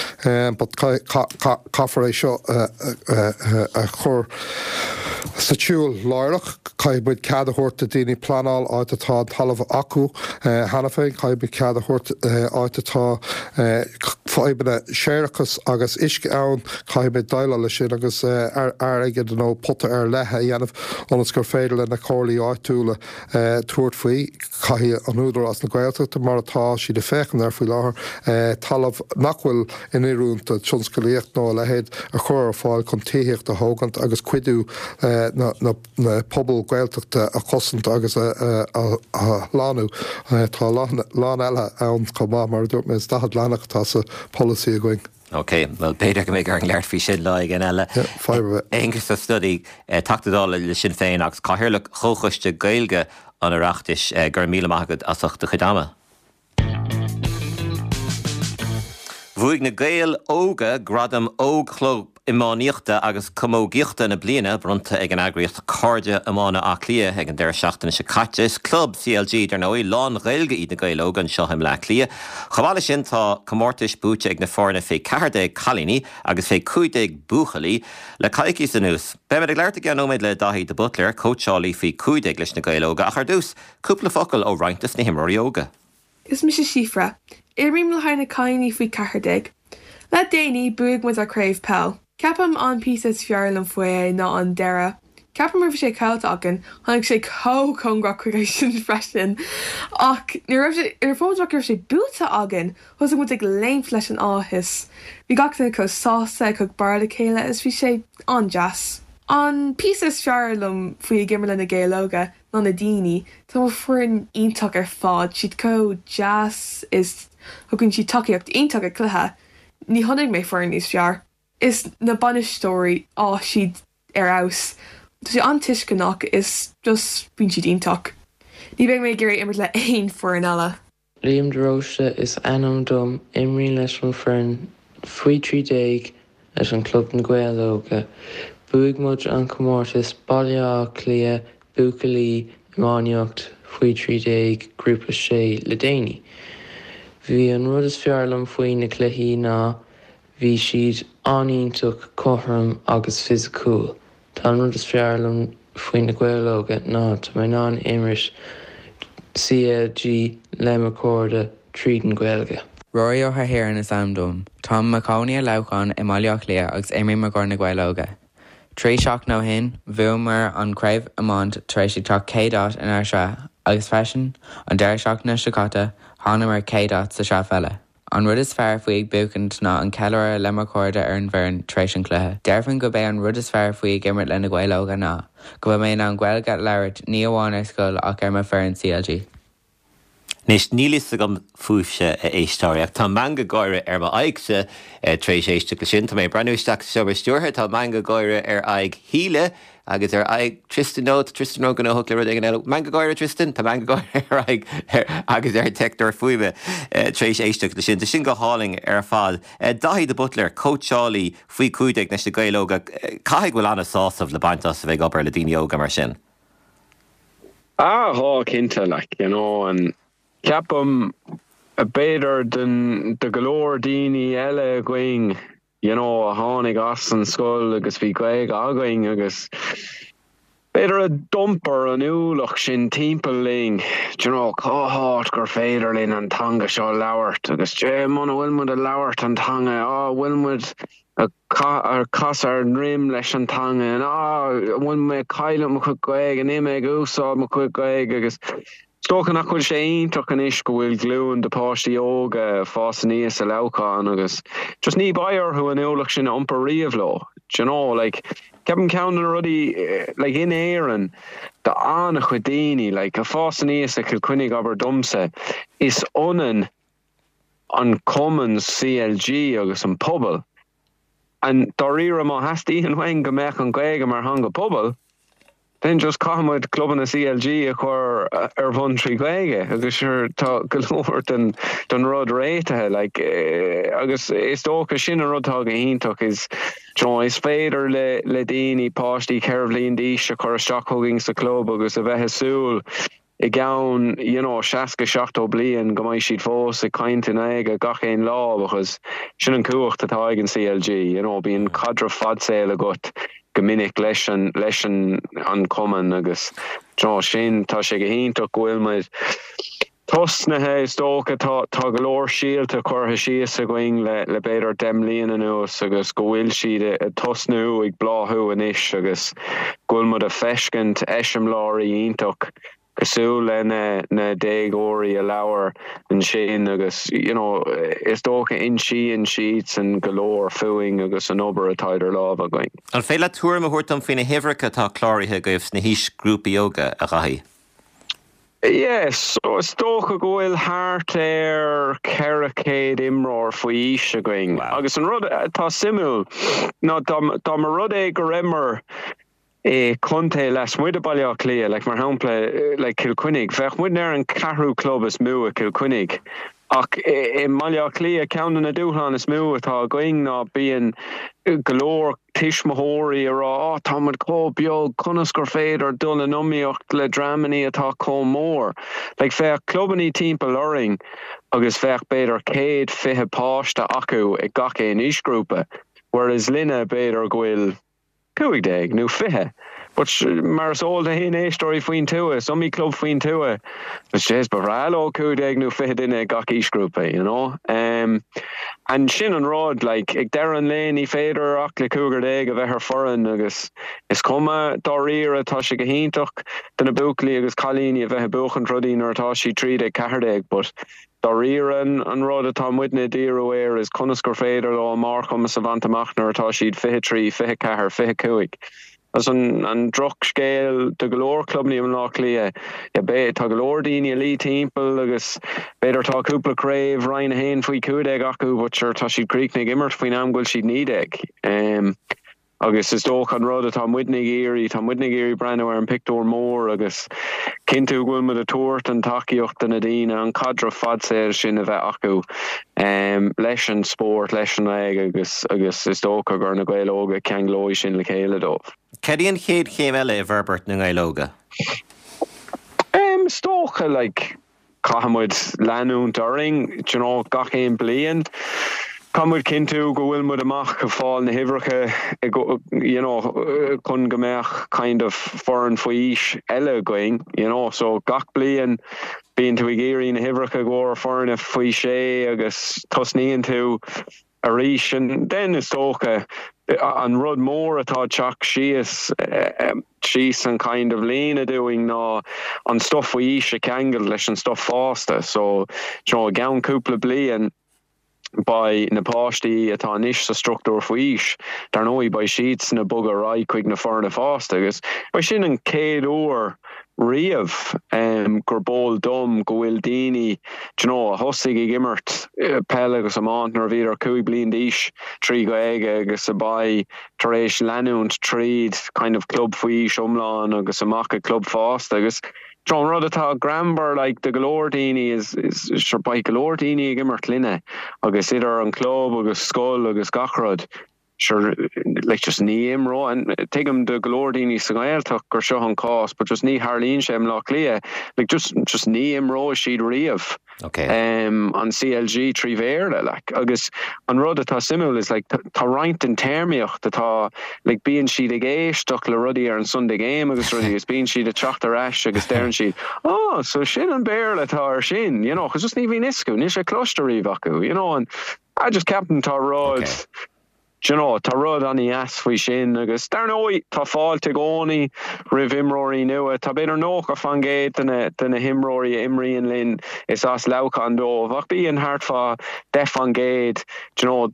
but caithfear é seo a chur sa tsiúl láithreach. Caithfidh muid cead a thabhairt do daoine pleanáil áit atá an talamh acu cheana féin. Caithfidh muid cead a thabhairt áit atá fadhbanna séarachais agus uisce ann. Caithfidh muid déileáil leis sin agus airgead nó pota ar leith a dhéanamh ionas gur féidir le na comhairlí áitiúla tabhairt faoi. Caithfidh an Údarás na Gaeltachta, mar atá siad ag féachaint air faoi láthair, talamh nach bhfuil in oiriúint do tionscalaíocht nó a leithéid a chur ar fáil chun tithíocht a thógaint agus cuidiú na na pobail Gaeltachta a chosaint agus a shlánú. Tá a lán eile ann chomh maith, mar a dúirt mé, is 40 leathanach atá sa pholasaí againn.
Ok, bhuel b'fhéidir go mbeidh orainn labhairt faoi sin lá éigin eile.
Fadhb ar
bith. Aengus Ó Snodaigh, Teachta Dála le Sinn Féin agus Cathaoirleach Chomhchoiste Gaeilge an Oireachtais, go raibh míle maith agat as ucht do chuid ama. Bhuaigh na Gaeil Óga gradam Óg-Chlub Iománaíochta agus Camógaíochta na Bliana, bronnta ag an eagraíocht Cairde Iomána Átha Cliath ag an deireadh seachtaine seo caite. Is club CLG, dar ndóigh, lán-Ghaeilge iad na Gaeil Óga anseo i mBleá Cliath. Chomh maith leis sin, tá comórtais buaite ag na foirne fé 14 cailíní agus fé 15 buachaillí le coicíos anuas. Beimid ag labhairt i gceann nóiméad le Daithí de Buitléar, cóitseálaí faoi 15 leis na Gaeil Óga, ach ar dtús, cúpla focal ó roinnt des na himreoirí óga.
Is mise Síofra. Imrím le haghaidh na cailíní faoi 14. Le déanaí, bhuaigh muid ár craobh peil. Ceapaim an píosa is fearr liom faoi é ná an deireadh. Ceapaim raibh sé caillte againn, tháinig sé chomh cóngarach chuige sin freisin. Ach nuair raibh sé, nuair a fuair muid amach go raibh sé buaite againn, thosaigh muid ag léimt leis an áthas. Bhí gach duine chomh sásta ag cur barr le chéile is bhí sé an-deas. An píosa is fearr liom faoi ag imirt le na Gaeil Óga ná na daoine. Tá mo foireann iontach ar fad, siad chomh deas is thugann siad tacaíocht iontach ag cluiche. Ní chonaic mé foireann níos fearr. Is na bainisteoirí, á siad ar fheabhas. Tá siad an-tuisceanach is just bíonn siad iontach. Ní bheidh mé ag iarraidh imirt le aon foireann eile.
Liam de Róiste is ainm dom, imrím leis an foireann faoi 13 leis an club Na Gaeil Óga. Bhuaigh muid an comórtas Baile Átha Cliath Buachaillí Iománaíocht faoi 13 Grúpa 6 le déanaí. Bhí an rud is fearr liom faoi na cluichí ná bhí siad an-iontach cothrom agus fisiciúil. Tá an rud is fearr liom faoi na Gaeil Óga ná tá mé in ann imirt CLG le mo chairde tríd an Ghaeilge.
Rory Ó hEithirn is ainm dom. Táim i mo chónaí i Leamhcán i mBaile Átha Cliath agus imrím i gcomhair na Gaeil Óga. 3 seachtain ó shin, bhuamar an craobh iomáint tar éis ag teacht chéad áit inár sraith agus freisin, an deireadh seachtaine seo caite, thángamar chéad áit sa sraith pheile. An rud is fearr faoi ag buachaint ná an ceiliúradh le mo chairde ar an bhfoireann tar éis an chluiche. Déarfainn go b'é an rud is fearr faoi ag imirt le Na Gaeil Óga ná go bhfuil mé in ann Gaeilge a labhairt ní amháin ar scoil ach ar mo foireann CLG.
Anois, níl fhios agam fúibhse, a éisteoirí, ach tá meangadh gáire ar m'aghaidhse tar éis éisteacht leis sin. Tá mé ag breathnú isteach sa seomra stiúrtha, tá meangadh gáire ar aghaidh Shíle Agus ar aghaidh Tristan, nó tá Tristan róghnóthach le rud éigin eile. Meangadh gáire, Tristan? Tá meangadh gáire ar aghaidh agus ar an teicneoir fuaime tar éis éisteacht leis sin. Tá sin go hálainn ar fad. Daithí de Buitléar, cóitseálaí faoi 15 leis na Gaeil Óga, caithfidh go bhfuil an-sásamh le baint as a bheith ag obair le daoine óga mar sin?
Ah, tá, cinnte, like, you know, and ceapaim, b'fhéidir do go leor daoine eile againn, you know, a tháinig as an scoil agus bhí Gaeilge againn agus b'fhéidir a d'iompar an ualach sin timpeall linn, do you know, cá háit gur féidir linn an teanga seo a labhairt agus eh muna bhfuil muid ag labhairt an teanga, á bhfuil muid ag casadh ár ndroim leis an teanga, á an bhfuil mé ag cailleadh mo chuid Gaeilge, níl mé ag úsáid mo chuid Gaeilge agus Is dócha nach bhfuil sé iontach anois go bhfuil glúin de páistí óga ag fás aníos i Leamhcán agus just ní beidh orthu an ualach sin a iompar riamh leo. Do you know, like, ceapaim ceann de na rudaí, like, in Éirinn, do an-chuid daoine, like, ag fás aníos i Cill Chainnigh, abair domsa, is ionann an cumann CLG agus an pobal. And dáiríre má theastaíonn uainn go mbeadh an Ghaeilge mar theanga pobail, then just caithfidh muid clubanna CLG a chur ar bun trí Ghaeilge agus sure tá go leor den den rud réitithe like agus is dócha sin an rud atá go hiontach is you know is féidir le le daoine páistí 4 bhliain d'aois a chur isteach chugainn sa chlub agus a bheith ag súil i gceann you know 60, 70 bliain go mbeidh siad fós ag caint i nGaeilge gach aon lá because sin an cumhacht atá ag an CLG you know bíonn caidreamh fadsaoil agat go minic leis an leis an an cumann agus you know sin tá sé go hiontach go bhfuil muid tosnaithe is dócha tá tá go leor síolta curtha síos againn le le b'fhéidir 10 mbliana anuas agus go bhfuil siad ag tosnú ag bláthú anois agus go bhfuil muid ag feiscint eiseamláirí iontach cosúil le na na déagóirí a labhair ansin agus you know is dócha insíonn siadsan go leor fúinn agus an obair atá idir lámha againn.
An féidir leat tuairim a thabhairt dom faoi na huimhreacha atá cláraithe agaibh sna haoisghrúpaí óga, a Dhaithí?
Yeah, so is dócha go bhfuil thart ar 400 imreoir faoi aois againn.
Wow.
Agus an rud atá suimiúil ná dá mba rud é go rabhamar i contae lasmuigh de Baile Átha Cliath, like mar shampla like Cill Chainnigh, bheadh muidne ar an ceathrú club is mó i Cill Chainnigh. Ach i mBaile Átha Cliath, ceann de na dúshláin is mó atá againn ná bíonn go leor tuismitheoirí ag rá 'Á, tá muid chomh beag, conas gur féidir dul in iomaíocht le dreamannaí atá chomh mór? Like, bheadh clubannaí timpeall orainn agus bheadh b'fhéidir 120 páiste acu ag gach aon aoisghrúpa, whereas linne b'fhéidir go bhfuil 15 nó 20. But mar is eol d'aon éisteoirí faoin tuath, is iomaí club faoin tuath, but jeez, ba bhreá leo 15 nó 20 duine ag gach aoisghrúpa, you know. Um, and sin an rud, like, ag deireadh an lae ní féidir ach le cúigear déag a bheith ar foireann agus is cuma dáiríre, tá sé go hiontach do na buachaillí agus cailíní a bheith ag buachaint rudaí nuair atá siad 13, 14, but Dáiríre, an rud atá muidne ag díriú air is conas gur féidir leo a mbarrchumas a bhaint amach nuair atá siad 23, 24, 25. Agus an drochscéal do go leor clubanna i mBaile Átha Cliath, yeah, tá go leor daoine ag luí timpeall agus b'fhéidir tá cúpla craobh Roinn 1 faoi 15 acu but sure tá siad críochnaithe ag imirt faoin am go bhfuil siad 19. Agus is dócha an rud atá muidne ag iarraidh, tá muidne ag iarraidh breathnú ar an pictiúr mór agus cinntiú go bhfuil muid ag tabhairt an tacaíocht do na daoine, an caidreamh fadsaoil sin a bheith acu leis an spórt, leis an nGaeilge agus agus is dócha gur na Gaeil Óga a cheanglóidh sin le chéile dóibh.
Cad í an chéad chéim eile i bhforbairt na nGael Óga?
Is dócha like caithfidh muid leanúint orainn do you know gach aon bliain. Caithfidh muid cinntiú go bhfuil muid amach ag fáil na huimhreacha you know chun go mbeadh kind of foireann faoi aois eile againn you know so gach bliain bíonn tú ag iarraidh na huimhreacha i gcomhair foirne faoi sé agus tosnaíonn tú arís. And then is dócha an rud mór atá ag teacht síos síos an kind of líne dúinn ná an stuff faoi aois a cheangal leis an stuff fásta. So you know i gceann cúpla bliain beidh na páistí atá anois sa struchtúr faoi aois, dar ndóigh beidh siadsan ag bogadh ar aghaidh chuig na foirne fásta agus beidh sin an chéad uair riamh gurb eol dom go bhfuil daoine d'you know a thosaigh ag imirt peil agus iomáint nuair a bhíodar 5 bliain d'aois trí Ghaeilge agus a beidh tar éis leanúint tríd kind of club faoi aois iomlán agus amach ag club fásta agus d'you know an rud atá greannmhar like do go leor daoine is is sure beidh go leor daoine ag imirt linne agus idir an club agus scoil agus gach rud. Sure, like just ní imreoidh, and tuigim do go leor daoine sa nGaeltacht gur seo an cás, but just ní tharlaíonn sé i mBleá Cliath, like just, just ní imreoidh siad riamh
Ok.
an CLG trí Bhéarla, like. Agus an rud atá suimiúil is like tá roinnt den téarmaíocht atá, like bíonn siad ag éisteacht le rudaí ar an Sunday Game agus rudaí agus bíonn siad ag teacht ar ais agus deireann siad, oh, so sin an Béarla atá ar sin, you know, 'cause just ní bhíonn fhios acu, níl sé cloiste riamh acu, you know, and I just ceapaim tá rud,
Ok.
do you know, tá rud an-dheas faoi sin agus dar ndóigh tá fáilte i gcónaí roimh imreoirí nua. Tá b'fhéidir 90% de na, de na himreoirí a imríonn linn is as Leamhcán dóibh ach bíonn thart fá 10% do you know,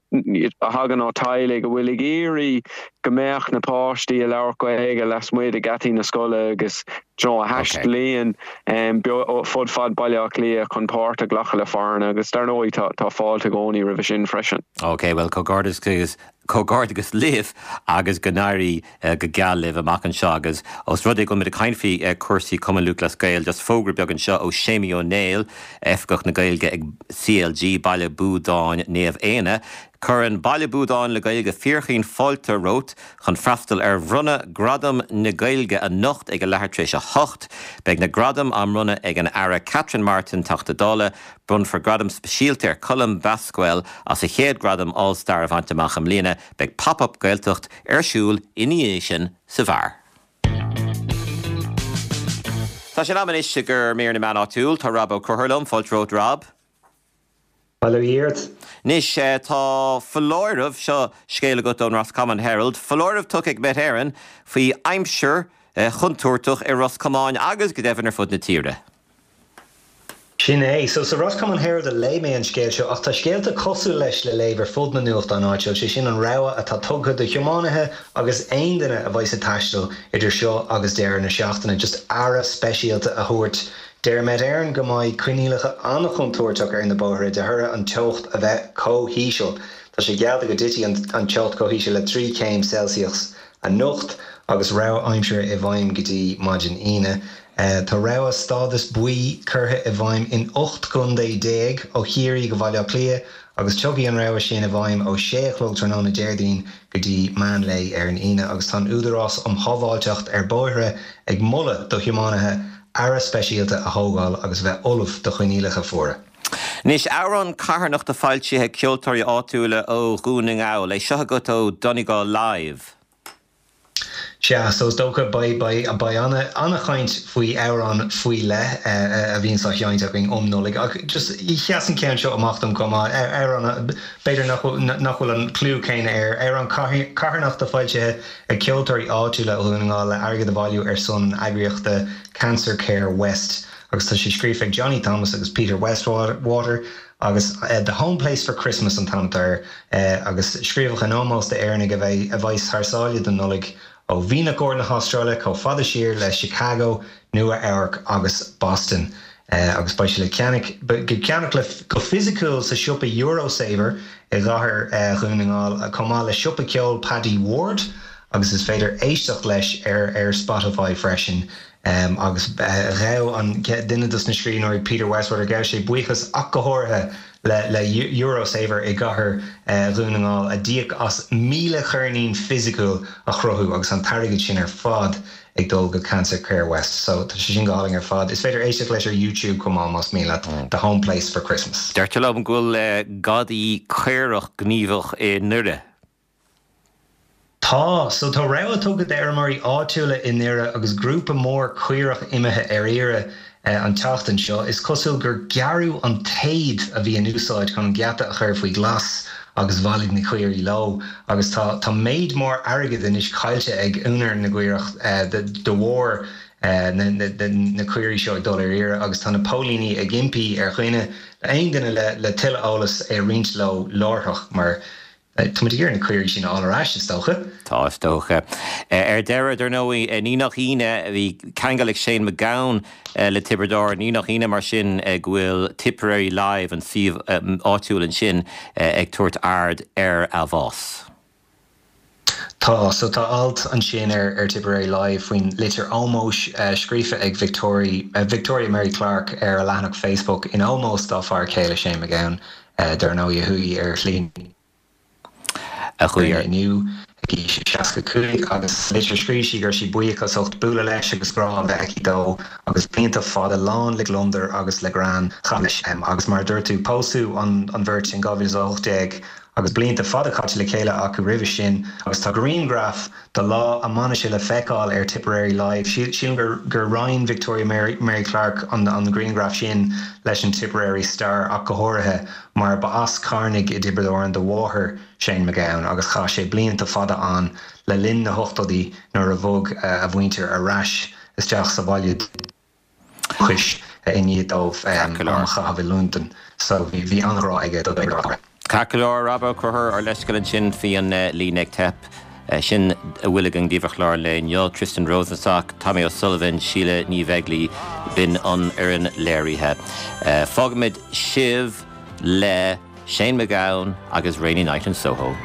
a thagann ó teaghlaigh a bhfuil ag iarraidh go mbeadh na páistí ag labhairt Gaeilge lasmuigh de gheataí na scoile agus do you know, a thaistlíonn fud fad Baile Átha Cliath chun páirt a ghlacadh le foirne agus dar ndóigh tá tá fáilte i gcónaí roimhe sin freisin.
Ok, bhuel comhghairdeas comhghairdeas libh agus go n-éirí go geal libh amach anseo agus os rud é go bhfuil muid ag caint faoi cúrsaí Cumann Lúthchleas Gael just fógra beag anseo ó Séimí Ó Néill, Oifigeach na Gaeilge ag CLG Baile Buadáin Naomh Éanna. Cuireann Baile Buadáin le Gaeilge fíorchaoin fáilte romhat chun freastal ar bhronnadh Gradam na Gaeilge anocht ag a leathuair tar éis 8. Beidh na gradaim á mbronnadh ag an Aire Catherine Martin, Teachta Dála. Bronnfar gradam speisialta ar Colm Basquel as a chéad gradam All Star a bhaint amach i mbliana. Beidh Pop Up Gaeltacht ar siúl ina dhiaidh sin sa bheár. Tá sé in am anois i gcomhair mír na meán áitiúil. Tá Rob Ó Conchúir liom. Fáilte romhat Rob.
Bail ó Dhia ort.
Anois, tá foláireamh, seo scéal agat ón Roscommon Herald, foláireamh tugtha ag Met Éireann faoi aimsir chontúirteach i Ros Comáin agus go deimhin ar fud na tíre.
Sin é. So, sa Roscommon Herald a léigh mé an scéal seo ach tá scéalta cosúil leis le léamh ar fud na nuachtán áitiúil, sé sin an rabhadh atá tugtha do thiománaithe agus aon duine a bheas ag taisteal idir seo agus deireadh na seachtaine, just aire speisialta a thabhairt Deir Met Éireann go mbeidh coinníollacha an-chontúirteach ar na bóithre de thoradh an teocht a bheith chomh híseal. Tá sé geallta go dtitfidh an teocht chomh híseal le 3 chéim Celsius anocht agus rabhadh aimsire i bhfeidhm go dtí maidin Aoine. Tá rabhadh stádas buí curtha i bhfeidhm in 18 gcontae ó Chiarraí go Bhaile Átha Cliath agus tiocfaidh an rabhadh sin i bhfeidhm ó 6 a chlog tráthnóna Déardaoin go dtí meán lae ar an Aoine agus tá an Údarás um Shábháilteacht ar Bóithre ag moladh do thiománaithe aire speisialta a thógáil agus a bheith ullamh do choinníollacha fuara.
Anois, amhrán carthanachta foilsithe ag ceoltóirí áitiúla ó Dhún na nGall. É seo agat ó Donegal Live.
Sea, so is dócha, beidh, beidh, beidh ana, ana-chaint faoi amhrán faoi leith a bhíonns á sheinnt againn um Nollaig ach just sheas an ceann seo amach dom chomh maith, amhrán b'fhéidir nach bhfuil, nach bhfuil an clú céanna air, amhrán carthanachta foilsithe ag ceoltóirí áitiúla ó Dhún na nGall le airgead a bhailiú ar son an eagraíochta Cancer Care West agus tá sé scríofa ag Johnny Thomas agus Peter Westwater agus The Home Place for Christmas an t-ainm atá air agus scríobhadh in ómós d'Éireannaigh a bheidh a bheas thar sáile don Nollaig. ó Mhianach Óir na hAstráile chomh fada siar le Chicago, Nua Eabhrac agus Boston. Agus beidh sé le ceannach le ceannach le go fisiciúil sa siopa Eurosaver i gcathair Dhún na nGall chomh maith le siopa ceoil Paddy Ward agus is féidir éisteacht leis ar ar Spotify freisin. Agus ghabh an duine dos na scríbhneoirí Peter Westwater, ghabh sé buíochas ach go háirithe le le Eurosaver i gcathair Dhún na nGall a d'íoc as 1,000 cheirnín fisiciúil a chruthú agus an t-airgead sin ar fad ag dul go Cancer Care West. So tá sé sin go hálainn ar fad. Is féidir éisteacht leis ar YouTube chomh maith más mian leat, The Home Place for Christmas.
Deirtear liom go bhfuil gadaí caorach gníomhach i nDoire.
Tá. So tá rabhadh tugtha d'fheirmeoirí áitiúla i nDoire agus grúpa mór caorach imithe ar iarraidh an tseachtain seo. Is cosúil gur gearradh an téad a bhí in úsáid chun an geata a chur faoi ghlas agus bhailigh na caoirigh leo. Agus tá tá méid mór airgid anois caillte ag úinéir na gcaorach de bharr na na caoirigh seo ag dul ar iarraidh agus tá na póilíní ag impí ar dhuine, aon duine le le tuilleadh eolas é a roinnt leo láithreach mar Tá muid ag iarraidh na caoirigh sin a fháil ar ais, is dócha.
Tá, is dócha. Ar deireadh, dar ndóigh, ní nach ionadh, bhí ceangal ag Shane MacGowan le Tiobraid Árann, ní nach ionadh mar sin go bhfuil Tipperary Live, an suíomh áitiúil ansin, ag tabhairt aird ar a bhás.
Tá. So tá alt ansin ar ar Tipperary Live faoin litir ómóis scríofa ag Victoria, Victoria Mary Clarke ar a leathanach Facebook in ómós dá fear céile Shane MacGowan. Dar ndóigh, a chuaigh ar shlí
a chuaigh ar.
inniu ag aois a 65 agus sa litir scríobh sí go raibh sí buíoch as ucht bualadh leis agus grá a bheith aici dó agus blianta fada lán le gliondar agus le greann a chaitheamh leis. Agus mar a dúirt tú, pósadh an bheirt in 2018 agus blianta fada caite le chéile acu roimhe sin agus tá grianghraf de lá a mbainise le feiceáil ar Tipperary Live. Sílim gur roinn Victoria Mary Clarke an grianghraf sin leis an Tipperary Star ach go háirithe mar ba as Carnaigh i dTiobraid Árann do mháthair Shane MacGowan agus chaith sé blianta fada ann le linn na hochtóidí nuair a bhog a mhuintir ar ais isteach sa bhaile dúchais i ndiaidh dóibh am a chaitheamh i Londain. So bhí an-ghrá aige do Thiobraid Árann.
Ceart go leor, Rob Ó Conchúir, ár leithscéal ansin faoi an líne ag teip. Sin a bhfuil againn daoibh ar chlár an lae inniu. Tristan Rosenstock, Tommy O'Sullivan, Síle Ní Bheaglaoi, b'in an fhoireann léirithe. Fágfaimid sibh le Shane MacGowan agus Rainy Night in Soho.